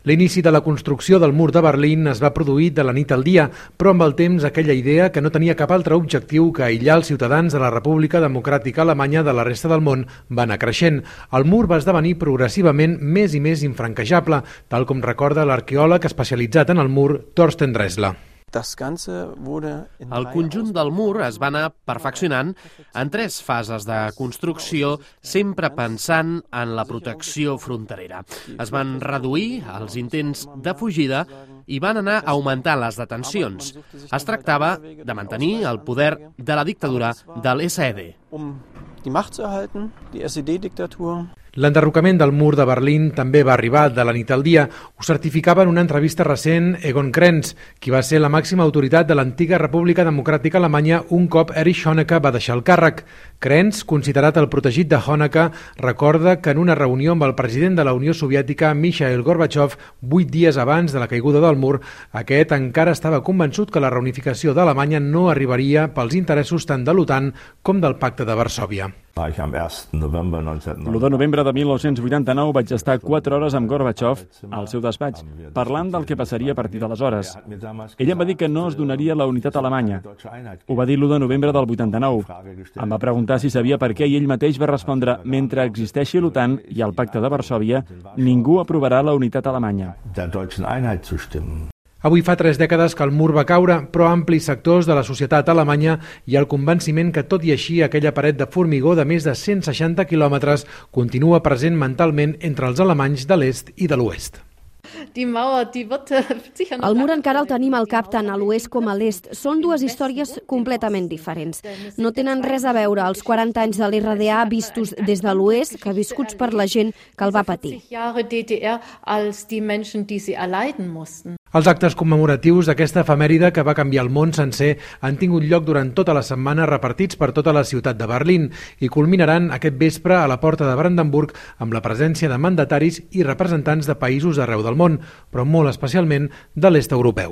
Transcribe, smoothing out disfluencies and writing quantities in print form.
L'inici de la construcció del mur de Berlín es va produir de la nit al dia, però amb el temps aquella idea, que no tenia cap altre objectiu que aïllar els ciutadans de la República Democràtica Alemanya de la resta del món, va anar creixent. El mur va esdevenir progressivament més i més infranquejable, tal com recorda l'arqueòleg especialitzat en el mur Thorsten Dressler. El conjunt del mur es va anar perfeccionant en 3 fases de construcció, sempre pensant en la protecció fronterera. Es van reduir els intents de fugida i van anar augmentant les detencions. Es tractava de mantenir el poder de la dictadura de l'SED. L'enderrocament del mur de Berlín també va arribar de la nit al dia. Ho certificava en una entrevista recent Egon Krenz, qui va ser la màxima autoritat de l'antiga República Democràtica Alemanya un cop Erich Honecker va deixar el càrrec. Krenz, considerat el protegit de Honecker, recorda que en una reunió amb el president de la Unió Soviètica, Mikhail Gorbachev, 8 dies abans de la caiguda del mur, aquest encara estava convençut que la reunificació d'Alemanya no arribaria pels interessos tant de l'OTAN com del Pacte de Varsòvia. L'1 de novembre de 1989 vaig estar 4 hores amb Gorbachev al seu despatx, parlant del que passaria a partir d'aleshores. Ell em va dir que no es donaria la unitat alemanya. Ho va dir l'1 de novembre del 89. Em va preguntar si sabia per què i ell mateix va respondre: mentre existeixi l'OTAN i el Pacte de Varsòvia, ningú aprovarà la unitat alemanya. Avui fa 3 dècades que el mur va caure, però amplis sectors de la societat alemanya hi ha el convenciment que, tot i així, aquella paret de formigó de més de 160 quilòmetres continua present mentalment entre els alemanys de l'est i de l'oest. El mur encara el tenim al cap tant a l'oest com a l'est. Són 2 històries completament diferents. No tenen res a veure els 40 anys de l'RDA vistos des de l'oest que viscuts per la gent que el va patir. Els actes commemoratius d'aquesta efemèride que va canviar el món sencer han tingut lloc durant tota la setmana, repartits per tota la ciutat de Berlín, i culminaran aquest vespre a la porta de Brandenburg amb la presència de mandataris i representants de països d'arreu del món, però molt especialment de l'est europeu.